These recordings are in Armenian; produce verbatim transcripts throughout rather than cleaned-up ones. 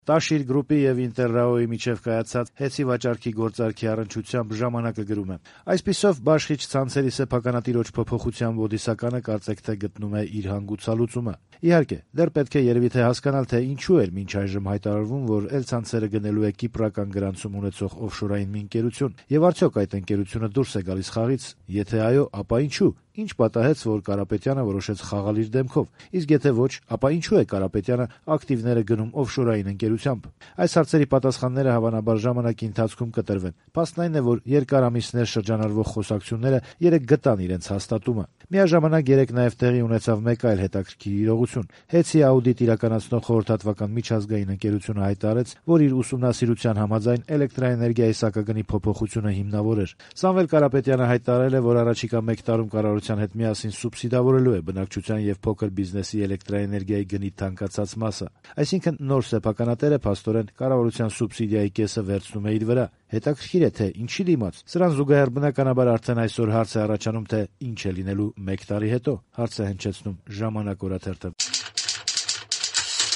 Տաշիր գրուպի եւ Ինտերրաոյի միջեւ կայացած հեծի վաճառքի գործարքի առնչությամբ ժամանակը գրում է. այսպիսով բաշխիչ ցանցերի սեփականատիրոջ փոփոխության բոդիսականը կարծեք թե գտնում է իր հանգուցալուծումը։ Իհարկե, դեռ պետք է երևի թե հասկանալ, թե ինչու էր մինչ այժմ հայտարարվում, որ Էլ-ցանցերը գնելու է կիպրական գրանցում ունեցող օֆշորային մի ընկերություն, եւ արդյոք այդ ընկերությունը դուրս է գալիս խաղից, եթե այո, ապա ինչու։ Ինչ պատահեց, որ Կարապետյանը որոշեց խաղալ իր դեմքով, իսկ եթե ոչ, ապա ինչու է Կարապետյանը ակտիվները գնում օֆշորային ընկերությամբ։ Այս հարցերի պատասխանները հավանաբար ժամանակի ընթացքում կտրվեն։ Փաստն այն է, որ երկար ամիսներ շրջանառվող խոսակցությունները երեկ գտան իրենց հաստատումը։ Միաժամանակ երեկ նաև տեղի ունեցավ մեկ այլ հետաքրքիր իրողություն։ Հեցի աուդիտ իրականացնող խորհրդատվական միջազգային ընկերությունը հայտարարեց, որ իր ուսումնասիրության համաձայն էլեկտրաէներգիայի սակագնի փոփոխությունը հիմնավոր էր։ Սամվել Կարապետյանը հայտարարել է, որ առաջիկա մեկ տարում կառավարության հետ միասին սուբսիդավորելու է բնակչության եւ փոքր բիզնեսի էլեկտրաէներգիայի գնի թանկացած մասը։ Այսինքն նոր սեփականատերը փաստորեն կառավարության սուբսիդիայի կեսը վերցնում է իր վրա։ Հետաքրքիր է, թե ինչի դիմաց։ Սրան զուգահեռ բնականաբար արդեն այսօր հարց է առաջանում, թե ինչ է լինելու մեկ տարի հետո։ Հարց է հնչեցնում Ժամանակ օրաթերթը։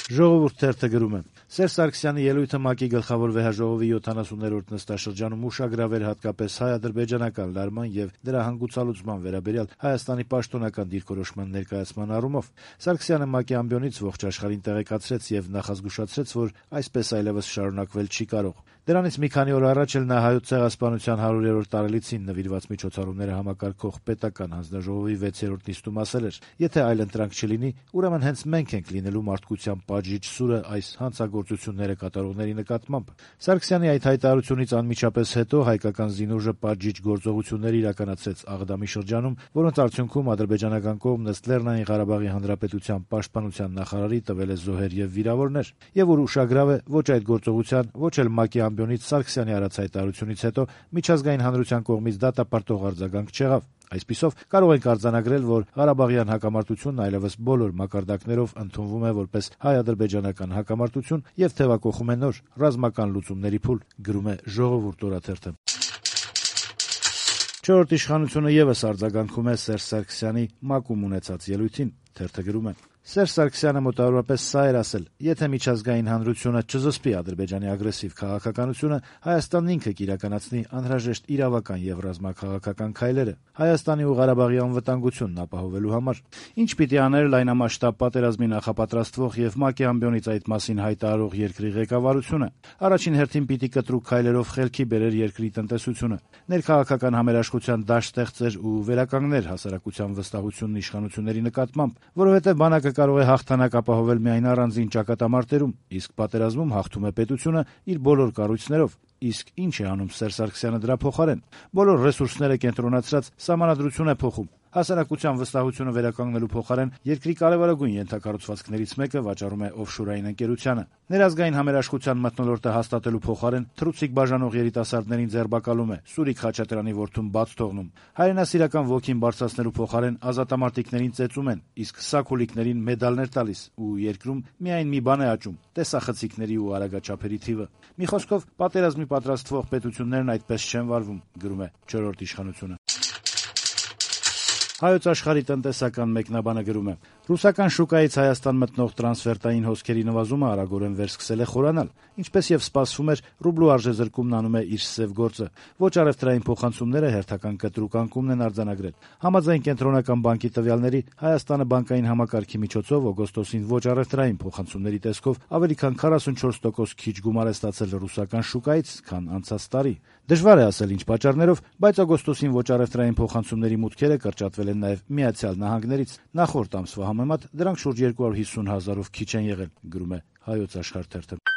Ժողովուրդ թերթը գրում է. Սերժ Սարգսյանի ելույթը ՄԱԿ-ի գլխավոր վեհաժողովի յոթանասուններորդ նստաշրջանում ուշագրավ էր հատկապես հայ-ադրբեջանական լարման եւ դրա հանգուցալուծման վերաբերյալ Հայաստանի պաշտոնական դիրքորոշման ներկայացման առումով։ Սարգսյանը ՄԱԿ-ի ամբիոնից ողջ աշխարհին տեղեկացրեց եւ նախազգուշացրեց, որ այսպես այլեւս շարունակվել չի կարող։ Դրանից մի քանի օր առաջ էլ նա հայոց ցեղասպանության հարյուրերորդ տարելիցին նվիրված միջոցառումները համակարգող պետական հանձնաժողովի վեցերորդ նիստում ասել էր. եթե այլընտրանք չլինի, ուրեմն հենց մենք ենք լինելու մարդկության պատժիչ սուրը այս հանցագործությունները կատարողների նկատմամբ։ Սարգսյանի այդ հայտարարությունից անմիջապես հետո հայկական զինուժը պատժիչ գործողություններ իրականացրեց Աղդամի շրջանում, որոնց արդյունքում ադրբեջանական կողմն ըստ Լեռնային Ղարաբաղի Հանրապետության պաշտպանության նախարարի տվել է զոհեր եւ վիրավորներ, եւ որ ուշագրավ է, ոչ այդ գործողության, ոչ էլ ՄԱԿ-ի ամբիոնից Սարգսյանի արած հայտարարությունից հետո միջազգային հանրության կողմից դատապարտող արձագանք չեղավ։ Այսպիսով կարող ենք արձանագրել, որ Ղարաբաղյան հակամարտությունն այլևս բոլոր մակարդակներով ընդունվում է որպես հայ-ադրբեջանական հակամարտություն եւ թեւակոխում է նոր ռազմական լուծումների փուլ, գրում է Ժողովուրդ օրաթերթը։ Չորրորդ իշխանությունը եւս արձագանքում է Սերժ Սարգսյանի ՄԱԿ-ում ունեցած ելույթին, թերթը գրում է. Սերժ Սարգսյանը մոտավորապես սա էր ասել. եթե միջազգային հանրությունը չզսպի Ադրբեջանի ագրեսիվ քաղաքականությունը, Հայաստանն ինքը կիրականացնի անհրաժեշտ իրավական եւ ռազմաքաղաքական քայլերը Հայաստանի ու Ղարաբաղի անվտանգությունն ապահովելու համար։ Ինչ պիտի աներ լայնամասշտաբ պատերազմի նախապատրաստվող եւ ՄԱԿ-ի ամբիոնից այդ մասին հայտարարող երկրի ղեկավարությունը։ Առաջին հերթին պիտի կտրուկ քայլերով խելքի բերեր երկրի տնտեսությունը, ներքաղաքական համերաշխության դաշտ ստեղծեր ու վերականգներ հասարակության վստահությունն իշխանությունների նկատմամբ, որովհետեւ բանակը կարող է հաղթանակ ապահովել միայն առանձին ճակատամարտերում, իսկ պատերազմում հաղթում է պետությունը իր բոլոր կառույցներով։ Իսկ ինչ է անում Սերժ Սարգսյանը դրա փոխարեն։ Բոլոր ռեսուրսները կենտրոնացրած սահմանադրություն է փոխում։ Հասարակության վստահությունը վերականգնելու փոխարեն երկրի կարևորագույն ենթակառուցվածքներից մեկը վաճառում է օֆշորային ընկերությանը։ Ներազգային համերաշխության մթնոլորտը հաստատելու փոխարեն թռուցիկ բաժանող երիտասարդներին ձերբակալում է, Սուրիկ Խաչատրյանի որդուն բաց թողնում։ Հայրենասիրական ոգին բարձրացնելու փոխարեն ազատամարտիկներին ծեծում են, իսկ սակուլիկներին մեդալներ տալիս ու երկրում միայն մի բան է աճում՝ տեսախցիկների ու արագաչափերի թիվը։ Մի խոսքով, պատերազմի պատրաստվող պետություններն այդպես չեն վարվում, գրում է չորրորդ իշխանությունը։ Հայոց աշխարհի տնտեսական մեկնաբանը գրում է. ռուսական շուկայից Հայաստան մտնող տրանսֆերտային հոսքերի նվազումը արագորեն վերսկսել է խորանալ, ինչպես եւ սպասվում էր, ռուբլու արժեզրկումն անում է իր սև գործը։ Ոչ առևտրային փոխանցումները հերթական կտրուկ անկումն են արձանագրել։ Համաձայն կենտրոնական բանկի տվյալների, Հայաստանը բանկային համակարգի միջոցով օգոստոսին ոչ առևտրային փոխանցումների տեսքով ավելի քան քառասունչորս տոկոս քիչ գումար է ստացել ռուսական շուկայից, քան անցած տարի։ Դժվար է ասել ինչ պատճառներով, բայց օգոստոսին ոչ առևտրային փոխանցումների մուտքերը կրճատվել են նաև Միացյալ Նահանգներից։ Նախորդ ամսվա համեմատ դրանք շուրջ երկու հարյուր հիսուն հազարով քիչ են եղել, գրում է Հայոց աշխարհ թերթը։